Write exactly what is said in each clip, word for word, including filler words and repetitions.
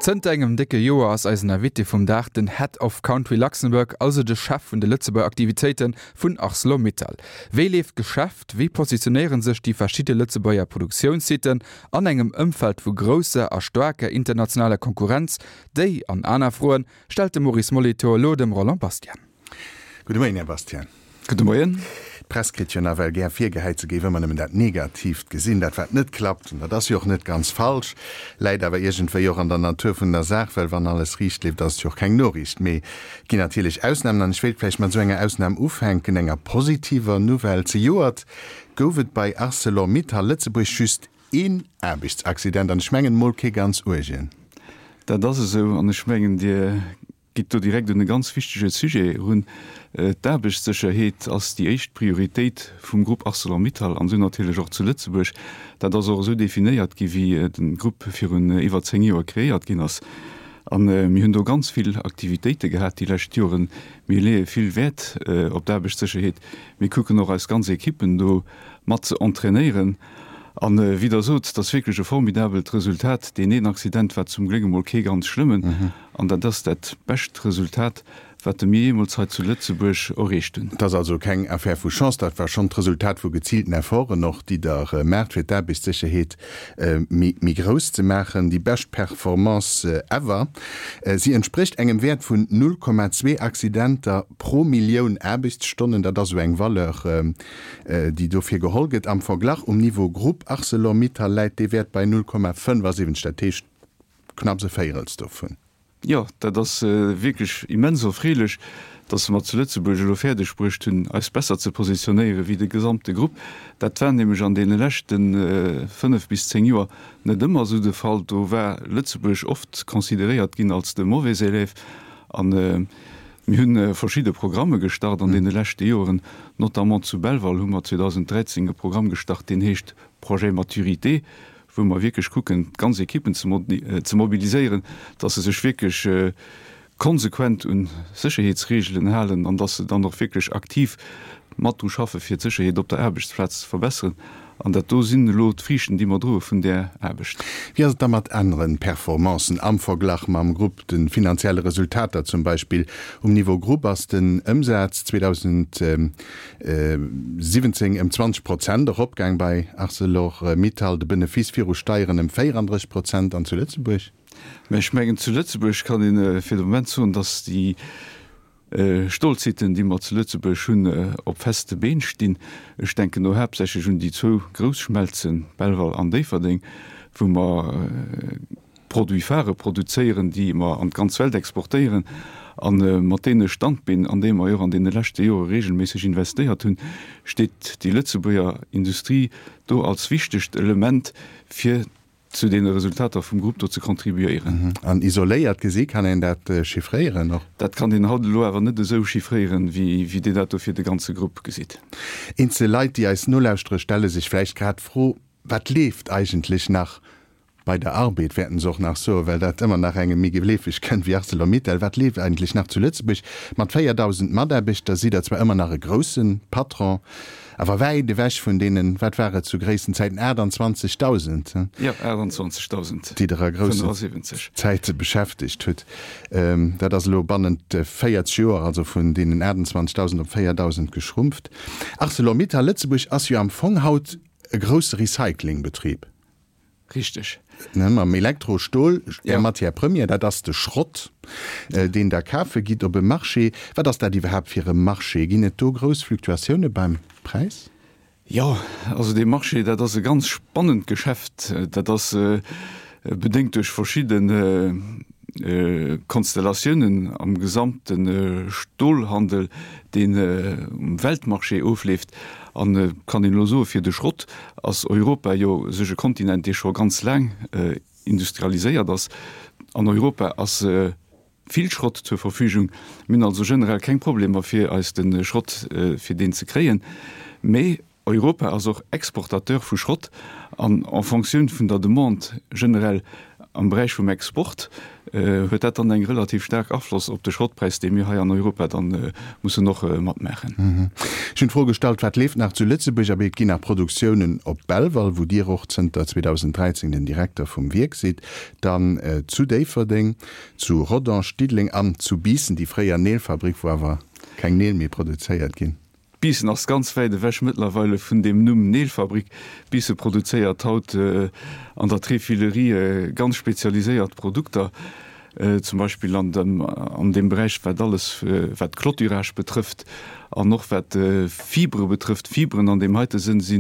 Zënter engem décke Joer ass eisen Invité vum Dag den Head of Country Luxembourg, also de Chef vun de Lëtzebuerger Aktivitéite vun Arcelor-Mittal. Wéi leeft d'Geschäft, wéi positionéiere sech déi verschidde Lëtzebuerger Produktiounssiten an engem Ëmfeld vu grousser a staarker internationaler Konkurrenz? Déi an aner Froen stellt de Maurice Molitor elo dem Roland Bastian. Gudde Moien, Här Bastian. Gudde Moien. D'Press kritt jo nawell gär virgehäit, se géif ëmmer nëmmen dat Negatiivt gesinn, dat wat net klappt. An dat ass jo och net ganz falsch, läit awer iergendwéi och an der Natur vun der Saach, well wann alles riicht leeft, ass et jo och keng Noriicht. Mee et ginn natierlech Ausnamen an ech wéilt vläicht mat esou enger Ausnam ufänken, enger positiver Nouvelle. Zejoert gouf et bei Arcelor-Mittal Lëtzebuerg just een Aarbechtsaccident, an ech mengen mol kee ganz uergen. Dat ass esou an ech mengen, Dir gitt do direkt un e ganz wichtege Sujet erun. D'Aarbechtssécherheet ass déi éischt Prioritéit vum Grupp Arcelor-Mittal an esou natierlech och zu Lëtzebuerg. Dat ass och esou definéiert gi wéi de Grupp virun iwwer zéng Joer kreéiert ginn ass. A mir hunn do ganz vill Aktivitéite gehat déi lescht Joren. Mir leeë vill Wäert op d'Aarbechtssécherheet. Mir kucken och eis ganz Ekippen do mat ze entrainéieren. A wéi Der sot, et ass wierklech e formidabelt Resultat. Deen een Accident war zum Gléck emol kee ganz schlëmmen. An dat ass dat bescht Resultat, wat mir jeemools hei zu Lëtzebuerg erreecht hunn. Et ass also keng Affär vu Chance, dat war schonn d'Resultat vu geziilten Efforten och, déi Der maacht, fir d'Aarbechtssécherheet méi grouss ze maachen. Déi bescht Performance ever. Si entsprécht engem Wäert vun null Komma zwee Accidenter pro Millioun Aarbechtsstonnen. Dat ass esou eng Valeur, déi dofir geholl gëtt. Am Verglach, um Niveau Grupp Arcelor-Mittal läit dee Wäert bei null Komma fënnefasiwwenzeg, dat heescht knapps e Véierels dovun. Jo, dat ass wierklech immens erfreelech, dass mer zu Lëtzebuerg elo fäerdeg bruecht hunn, eis besser ze positionéiere wéi de gesamte Grupp. Dat war nämlech an deene leschte fënnef bis zéng Joer net ëmmer esou de Fall. Do war Lëtzebuerg oft consideréiert ginn als de mauvais élève. A mir hu verschidde Programme gestart an deene leschte Joren. Notamment zu Belval hu mer zweedausenddräizéng e Programm gestart, deen heescht Projet Maturité, wou mer wierklech kucken, d'ganz Ekippen ze mobiliséieren, dass se sech wierklech konsequent un Sécherheetsreegelen halen an dass se dann och wierklech aktiv mat dru schaffe fir d'Sécherheet op der Aarbechtsplaz ze verbesseren. An dat do sinn elo d'Friichten, déi mer droe vun där Aarbecht. Wéi ass et da mat anere Performancen am Verglach mam Grupp, de finanzielle Resultater zum Beispill? Um Niveau Grupp ass den Ëmsaz zweedausentsiwwenzéng ëm zwanzeg Prozent eropgaang bei Arcelor-Mittal, de Benefice viru Steieren ëm véierandrësseg Prozent. An zu Lëtzebuerg? Mä ech mengen, zu Lëtzebuerg kann ee fir de Moment soen, datt déi Stolsiten, déi mer zu Lëtzebuerg hunn, op feste Been stinn. Ech denken do haaptsächlech un déi zwou grouss Schmelzen, Belval an Déifferdeng, wou mer Produits phares produzéieren, déi mer an d'ganz Welt exportéieren. A mat deene Standbeen, an déi mer jo och an deene leschte Jore regelméisseg investéiert hunn, steet déi Lëtzebuerger Industrie do als wichtegt Element, fir zu deene Resultater vum Grupp do ze contribuéieren. An isoléiert gesi kann een dat chiffréieren och? Dat kann een haut elo awer net esou chiffréieren, wéi Dir dat do fir de ganze Grupp gesitt. Eenzel Leit, déi eis nolauschtere, stelle sech vläicht grad d'Fro, Wat leeft eigentlech nach bei der Arbed, wäerten se och nach soen, well dat ëmmer nach engem méi geleefeg kënnt wéi Arcelor-Mittal. Wat leeft eigentlech nach zu Lëtzebuerg? Mat véierdausend Mataarbechter sidd Der zwar ëmmer nach e grousse Patron, Awer wäit ewech vun deenen, wat war et zu gréissten Zäiten, aachtanzwanzegdausend, Jo, aachtanzwanzegdausend déi Der a groussen Zäite beschäftegt hutt. Dat ass elo bannent véierzeg Joer, also vun deenen aachtanzwanzegdausend op véierdausend geschrumpft. Arcelor-Mittal Lëtzebuerg ass jo am Fong haut e grousse Recyclingbetrib. Richteg. Mam Elektrostol, Är Matière première, dat ass de Schrott, deen Der kafe gitt op e Marché. Wat ass dat iwwerhaapt fir e Marché? Ginn et do grouss Fluktuatioune beim Präis? Jo, also dee Marché, dat ass e ganz spannend Geschäft. Dat ass bedéngt duerch verschidde Konstellatiounen am gesamte Stolhandel, deen um Weltmarché ofleeft. An et kann een elo soen, fir de Schrott ass Europa jo u sech e Kontinent, dee scho ganz laang industrialiséiert ass. An Europa ass vill Schrott zur Verfügung. Mir hunn also generell keng Problemer, fir eis de Schrott, fir deen ze kréien. Mee Europa ass och Exportateur vu Schrott an en Fonctioun vun der Demande generell Am Beräich vum Export huet dat dann eng relativ staark Afloss op de Schrottpräis, dee mir hei an Europa dann mussen och matmaachen. Ech hunn d'Fro gestallt, Wat leeft nach zu Lëtzebuerg? Abee, et ginn nach Produktiounen op Belval, wou Dir och zënter zweedausend dräizéng den Direkter vum Wierk sidd, dann zu Déifferdeng, zu Rodange, Diddeleng an zu Biissen, déi fréier Neelfabrik, wou awer keng Neel méi produzéiert ginn. Biissen ass ganz wäit ewech mëttlerweile vun deem Numm Neelfabrik. Biisse produzéiert haut an der Tréfilerie ganz spezialiséiert Produkter, zum Beispill an dem an deem Beräich wat alles wat Clôturage betrëfft an och wat Fibre betrëfft. Fibren an deem heite Sënn si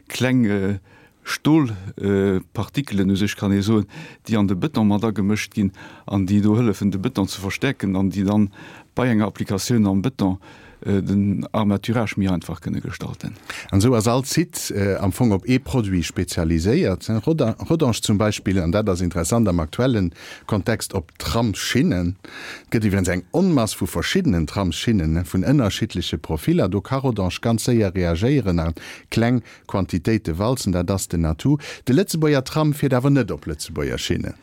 kleng Stolpartikelen u sech kann ee soen, déi an de Bëton mat agemëscht ginn an déi do hëllefen de Bëton ze verstäerken an déi dann bei enger Applikatioun am Bëton den Armaturage méi einfach kënne gestalten. An esou ass all Site am Fong op ee Produit spezialiséiert. Rodange zum Beispill, an dat ass interessant am aktuellen Kontext, op Tramsschinnen. Et gëtt iwwregens eng Onmass vu verschiddenen Tramsschinnen vun ënnerschiddleche Profiller. Do ka Rodange ganz séier reagéieren a kleng Quantitéite walzen. Dat ass den Atout. De Lëtzebuerger Tram fiert awer net op Lëtzebuerger Schinnen.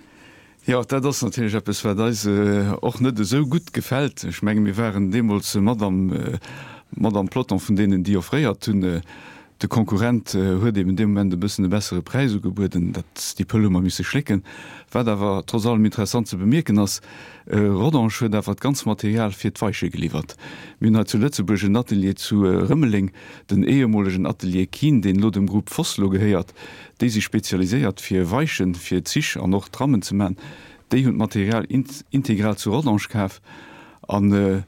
Jo, dat ass natierlech eppes, wat eis och net esou gutt gefält. Ech menge mir waren deemools mat am, mat am Peloton vun deenen, déi offréiert hunn. De Konkurrent huet eben dee Moment e bëssen e bessere Präis ugebueden. Dat, déi Pëll hu mer misse schlécken. Wat awer trotz allem interessant ze bemierken ass, Rodange huet awer d'ganz Material fir d'Weiche geliwwert. Mir hunn hei zu Lëtzebuerg en Atelier zu Rëmeleng, den ehemolegen Atelier Kihn, deen elo dem Groupe Vossloh gehéiert. Déi si spezialiséiert fir Weichen fir Zich an och Trammen ze man. Déi hunn d'Material integral zu Rodange kaf an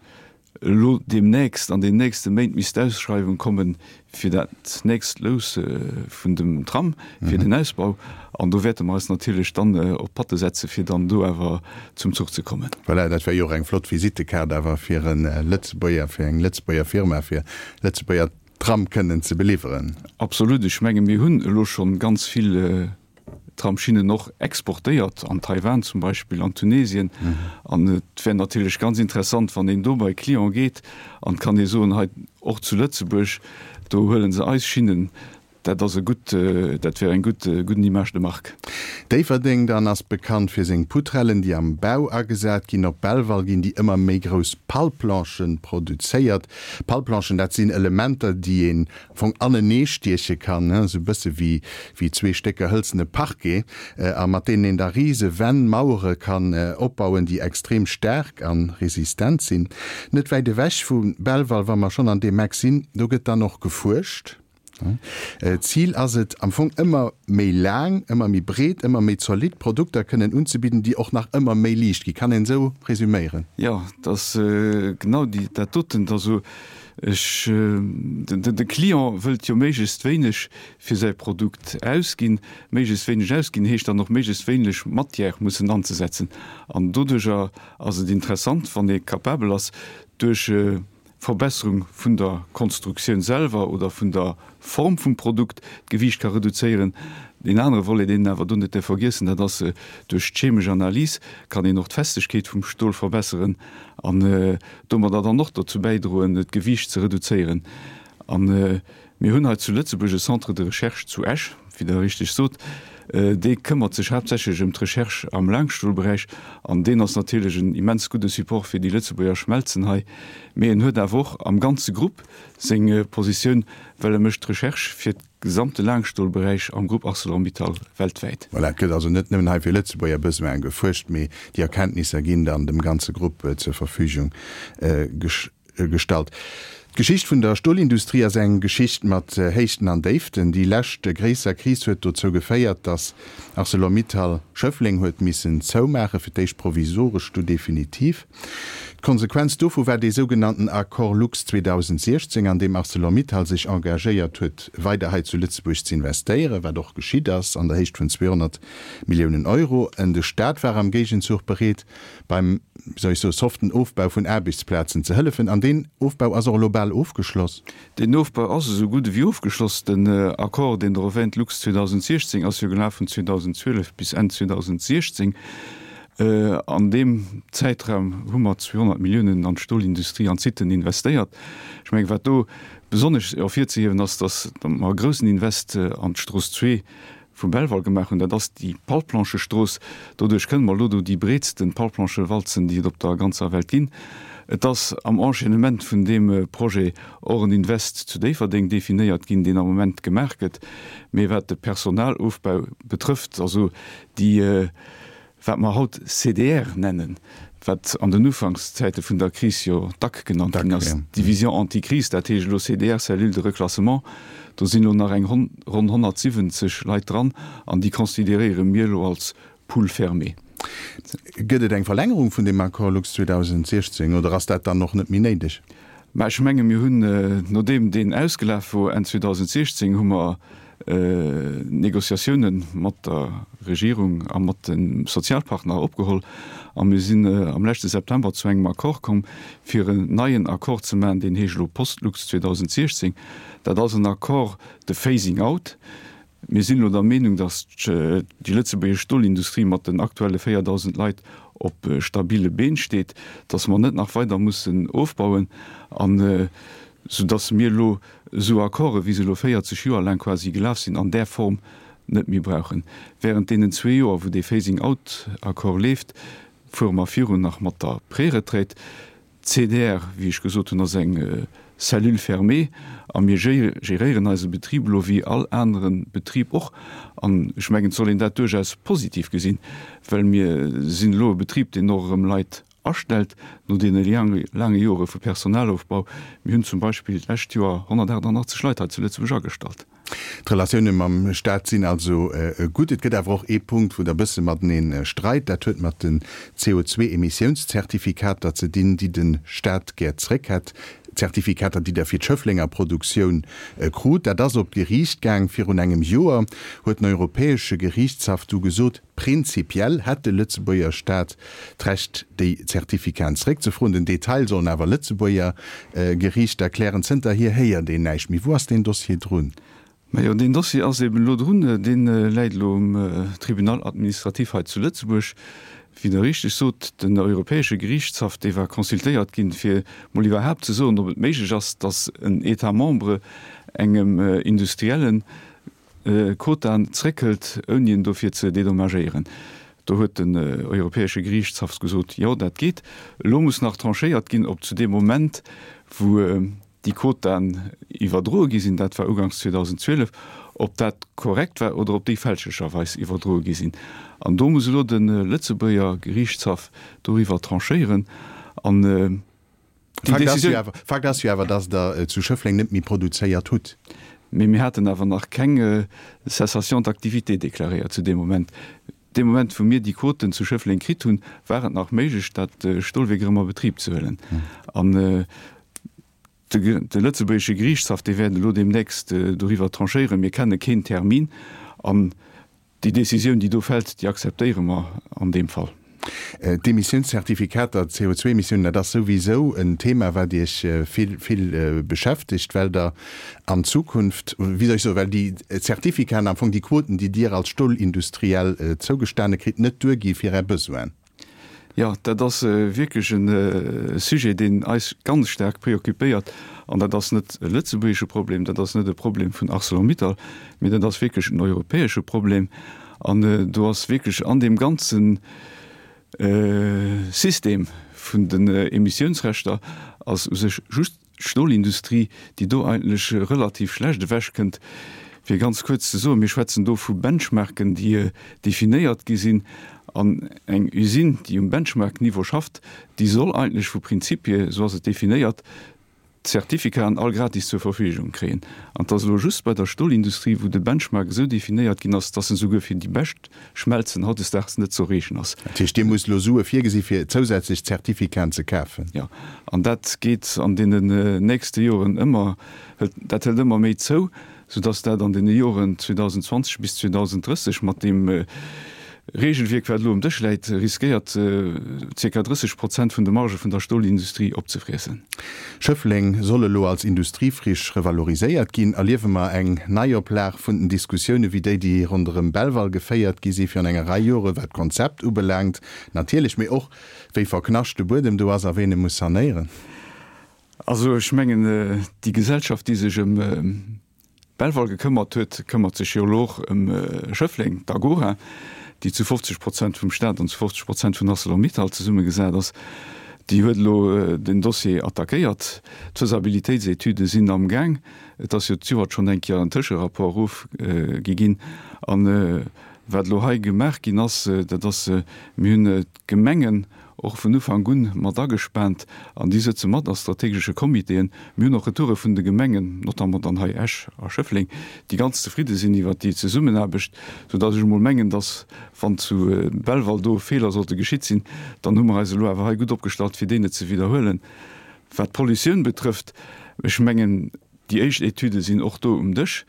elo deemnächst, an den nächste Méint misst d'Ausschreiwung komme fir dat nächst Lous vun dem Tram, fir den Ausbau. An do wäerte mer eis natierlech dann op d'Patte setze fir dann do awer zum Zuch ze kommen. Voilà, dat wär jo och eng flott Visittekaart awer fir e Lëtzebuerger, fir eng Lëtzebuerger Firma, fir Lëtzebuerger Tram kënnen ze beliwweren. Absolut. Ech menge mir hunn elo schonn ganz vill Tramschinnen och exportéiert, an Taiwan zum Beispill, an Tunesien. An et wär natierlech ganz interessant, wann een do bei Client geet an et kann ee soen, hei och zu Lëtzebuerg, do huele se eis Schinnen. Dat ass e gutt, dat wär eng gutt, gudden Image de marque. Déifferdeng dann ass bekannt fir seng Poutrellen, déi am Bau agesat ginn. Op Belval ginn déi ëmmer méi grouss Palplanchen produzéiert. Palplanchen, dat sinn Elementer, déi een am Fong anenee stieche kann, esou e bësse wéi wéi zwee Stécker hëlzene Parquet, a mat deenen een da rise Wänn, Mauere kann opbauen, déi extrem staark a resistent sinn. Net wäit ewech vu Belval, wa mer schonn an deem Eck sinn, do gëtt dann och gefuerscht. D'Zil ass et am Fong ëmmer méi laang, ëmmer méi breet, ëmmer méi zolidd Produkter kënnen unzebidden, déi och nach ëmmer méi liicht ginn. Kann een esou resüméieren? Jo, et ass genau déi, dat doten. Also ech, de Client wëllt jo méiglechst wéineg fir säi Produkt ausginn. Méiglechst wéineg ausginn heescht dann och méiglechst wéineg Matière mussen anzesetzen. An doduerjer ass et interessant, wann ee capabel ass, duerch Verbesserung vun der Konstruktioun selwer oder vun der Form vum Produkt d'Gewiicht ka reduzéieren. Deen anere Volet, deen een awer do net däerf vergiessen, dat ass, duerch d'chemesch Analys kann een och d'Festegkeet vum Stol verbesseren an domadder dann och dozou bäidroen, d'Gewiicht ze reduzéieren. A mir hunn hei zu Lëtzebuerg e Centre de recherche zu Esch, wéi Der richteg sot, dee këmmert sech haaptsächlech ëm d'Recherche am Laangstolberäich an deen ass natierlech en immens gudde Support fir déi Lëtzebuerger Schmelzen hei. Mee en huet awer och am ganze Grupp seng Positioun, well e mécht d'Recherche fir gesamte Laangstolberäich am Grupp Arcelor-Mittal weltwäit. Voilà, et gëtt also net nëmmen hei fir Lëtzebuerger Besoine gefuerscht, mee déi Erkenntnisser ginn dann dem ganze Grupp zur Verfügung gestallt. D'Geschicht vun der Stolindustrie ass eng Geschicht mat Héichten an Déiften. Déi lescht gréisser Kris huet dozou geféiert, datt Arcelor-Mittal Schëffleng huet missen zoumaachen, fir d'éischt provisoresch, du definitiv. D'Konsequenz dovu war dee sougenannten Accord Lux zweedausendsiechzéng, an deem Arcelor-Mittal sech engagéiert huet, weider hei zu Lëtzebuerg ze investéieren, wat och geschitt ass, an der Héicht vun zweehonnert Milliounen Euro. En de Staat war am Géigenzuch bereet, beim, wéi soll ech soen, soften Ofbau vun Aarbechtsplazen ze hëllefen. An deen Ofbau ass och elo bal ofgeschloss. Deen Ofbau ass esou gutt ewéi ofgeschloss. Den Accord, deen Der erwähnt, Lux zweedausendsechzéng, ass jo gelaf vun zweedausendzwielef bis Enn zweedausendsechzéng. An deem Zäitraum hu mer zweehonnert Milliounen an d'Stolindustrie, an d'Siten investéiert. Ech mengen, wat do besonnesch ervirzehiewen ass, datt mer e groussen Invest an d'Strooss zwee vu Belval gemaach hunn, dat ass déi Palplanchestrooss. Doduerch kënne mer elo do déi breetsten Palplanchewalzen, déi et op der ganzer Welt ginn. Et ass am Enchaînement vun deem Projet och en Invest zu Déifferdeng definéiert ginn, deen am Moment gemaach gëtt. Mee wat de Personalofbau betrëfft, also déi, wat mer haut C D R nennen, wat an den Ufankszäite vun der Kris jo D A C genannt ginn ass, Division anti-crise, dat heescht elo C D R, Cellule de reclassement, do sinn elo nach eng ronn honnertsiwwenzeg Leit dran an déi consideréiere mir elo als Pool fermé. Gëtt et eng Verlängerung vun deem Accord Lux zweedausendsiechzéng oder ass dat dann och net méi néideg? Mä ech menge mir hunn, nodeem deen ausgelaf wor Enn zweedausendsiechzéng, hu mer Négociatioune mat der Regierung a mat de Sozialpartner opgeholl a mir sinn am leschte September zu engem Accord komm, fir en neien Accord ze maachen, deen heescht elo Post-Lux zweedausendsiechzéng. Dat ass en Accord de phasing out. Mir sinn elo der Meenung, datt déi lëtzebuergesch Stolindustrie mat den aktuelle véierdausend Leit op stabile Been steet, datt mer net nach weider mussen ofbauen an soudatt mir elo esou Accorden, wéi se elo véierzeg Joer laang quasi gelaf sinn, an där Form net méi brauchen. Während deenen zwee Joer, wou dee Phasing-out-Accord leeft, fuere mer virun nach mat der Préretraite. D'C D R, wéi ech gesot hunn, ass eng Cellule fermée a mir géréieren eise Betrib elo wéi all anere Betrib och. An ech mengen, et soll een dat duerchaus positiv gesinn, well mir sinn elo e Betrib, deen och erëm Leit astellt no deene laange Jore vu Personalofbau. Mir hunn zum Beispill d'lescht Joer honnertaachtundachtzeg Leit hei zu Lëtzebuerg agestallt. D'Relatioune mam Staat sinn also gutt. Et gëtt awer och ee Punkt, wou Der e bësse matenee streit. Dat huet mat den C O zwee Emissiounszertifikater ze dinn, déi de Staat gär zréck hätt. Zertifikater, déi Der fir d'Schëfflenger Produktioun krut. Dat ass op d'Geriicht gaang. Virun engem Joer huet den Europäesche Geriichtshaff du gesot, prinzipiell hätt de Lëtzebuerger Staat d'Recht, déi Zertifikaten zréckzefroen. Den Detail sollen awer Lëtzebuerger Geriichter klären. Zënterhier héiert een näischt méi. Wou ass deen Dossier drun? Majo, deen Dossier ass eben elo drun. Dee läit elo um Tribunal administratif hei zu Lëtzebuerg. Wéi Der richteg sot, den Europäesche Geriichtshaff, dee war consultéiert ginn, fir mol iwwerhaapt ze soen, ob et méiglech ass, datt en État membre engem Industriellen Quotaen zréckhëlt, ouni en dofir ze dédommagéieren. Do huet den Europäesche Geriichtshaff gesot, Jo, dat geet. Elo muss nach tranchéiert ginn, ob zu deem Moment, wou déi Quotaen iwwerdroe gi sinn, dat war uganks zweedausendzwielef, ob dat korrekt war oder ob déi fälschlecherweis iwwerdroe gi sinn. An do muss elo de Lëtzebuerger Geriichtshaff doriwwer tranchéieren. An déi Décisioun. Fakt ass jo awer, datt Der zu Schëffleng net méi produzéiert hutt. Mee mir haten awer nach keng Cessation d'activité deklaréiert zu deem Moment. Dee Moment, wou mir déi Quoten zu Schëffleng kritt hunn, war et nach méiglech, dat Stolwierk erëm a Betrib ze huelen. An de lëtzebuergesche Geriichtshaff, dee wäert elo deemnächst doriwwer tranchéieren. Mir kenne keen Termin. An déi Décisioun, déi do fält, déi akzeptéiere mer an deem Fall. D'Emissiounszertifikater, d'C O zwee Emissiounen, dat ass souwisou en Thema, wat Iech vill, vill beschäftegt, well Der an Zukunft, wéi soll ech soen, well déi Zertifikaten, am Fong déi Quoten, déi Dir als Stolindustriell zougestane kritt, net duergi fir Är Besoinen. Jo, dat ass wierklech e Sujet, deen eis ganz staark preoccupéiert. An dat ass net e lëtzebuergesche Problem, dat ass net e Problem vun Arcelor-Mittal, mee dat ass wierklech en europäesche Problem. An do ass wierklech an deem ganze System vun den Emissiounsrechter ass u sech just d'Stolindustrie, déi do eigentlech relativ schlecht ewechkënnt. Fir ganz kuerz ze soen, mir schwätzen do vu Benchmarken, déi definéiert gi sinn. An eng Usine, déi um Benchmark-Niveau schafft, déi soll eigentlech vu Prinzip hier, esou ass et definéiert, d'Certificaten all gratis zur Verfügung kréien. An et ass elo just bei der Stolindustrie, wou de Benchmark esou definéiert ginn ass, dass en souguer fir déi bescht Schmelzen hautdesdaags net ze erreechen ass. Dat heescht, Dir musst elo Sue virgesi fir zousätzlech Certificaten ze kafen? Jo, an dat geet an deenen nächste Joren ëmmer, dat hëlt ëmmer méi zou, soudass dat an deene Joren zweedausendzwanzeg bis zweedausenddrësseg mat deem Regelwierk, wat elo um Dësch läit, riskéiert zirka drësseg Prozent vun de Margë vun der Stolindustrie opzefriessen. Schëffleng soll elo als Industriefriche revaloriséiert ginn. Erliewe mer eng Neioplag vun den Diskussioune wéi déi, déi ronderëm Belval geféiert gi si virun enger Rei Jore wat d'Konzept ubelaangt natierlech, mee och wéi verknascht de Buedem do ass a ween e muss sanéieren? Also ech mengen, déi Gesellschaft, déi sech ëm Belval gekëmmert huet, këmmert sech jo elo och ëm Schëffleng, d'Agora, déi zu fofzeg Prozent vum Staat an zu fofzeg Prozent vun Arcelor-Mittal zesummegesat ass. Déi huet elo den Dossier attackéiert. D'Faisabilitéitsetüde sinn am Gaang. Et ass jo d'Joert schonn eng Kéier en Tëscherapport ofgi ginn. An wat elo hei gemaach ginn ass, dat ass, mir hunn d'Gemengen och vun Ufank un mat agespaant an déi sëtze mat a strategesche Comitéen. Mir hunn och Retoure vun de Gemengen, notamment dann hei Esch a Schëffleng, déi ganz zefridde sinn iwwert déi Zesummenaarbecht, soudass ech emol mengen, dass, wann zu Belval do Feeler sollte geschitt sinn, dann hu mer eis elo awer hei gutt opgestallt, fir déi net ze widderhuelen. Wat d'Pollutioun betrëfft, ech mengen, Déi éischt Etüde sinn och do um Dësch.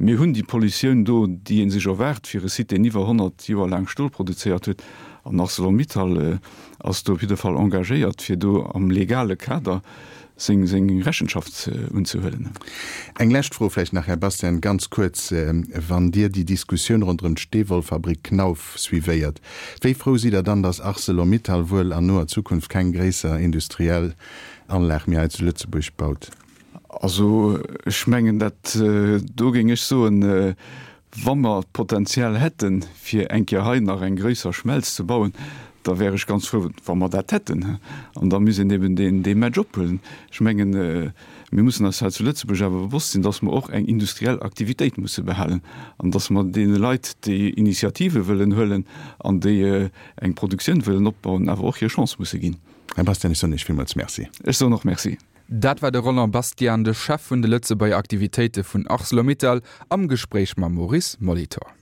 Mir hunn déi Pollutioun do, déi ee sech erwaart fir e Site, deen iwwer honnert Joer laang Stol produzéiert huet. An Arcelor-Mittal ass do op jidde Fall engagéiert, fir do am legale Kader seng Rechenschaft unzehuelen. Eng lescht Fro vläicht nach, Här Bastian, ganz kuerz, Wann Dir déi Diskussioun ronderëm d'Steewollfabrik Knauf suivéiert, wéi frou sidd Der dann, datt Arcelor-Mittal wuel an noer Zukunft keng gréisser industriell Anlag méi hei zu Lëtzebuerg baut? Also ech mengen, dat do géing ech soen, wa mer d'Potenzial hätten, fir eng Kéier hei nach eng gréisser Schmelz ze bauen, da wär ech ganz frou, wa mer dat hätten. An da misst een eben deen dee Match ophuelen. Ech mengen, mir mussen eis hei zu Lëtzebuerg awer bewosst sinn, dass mer och eng industriell Aktivitéit musse behalen an dass mer deene Leit, déi Initiative wëllen huelen an déi eng Produktioun wëllen opbauen, awer och hir Chance musse ginn. Här Bastian, ech soen Iech villmools Merci. Ech soen och Merci. Dat war de Roland Bastian, de Chef vun de Lëtzebuerger Aktivitéite vun Arcelor-Mittal, am Gespréich mam Maurice Molitor.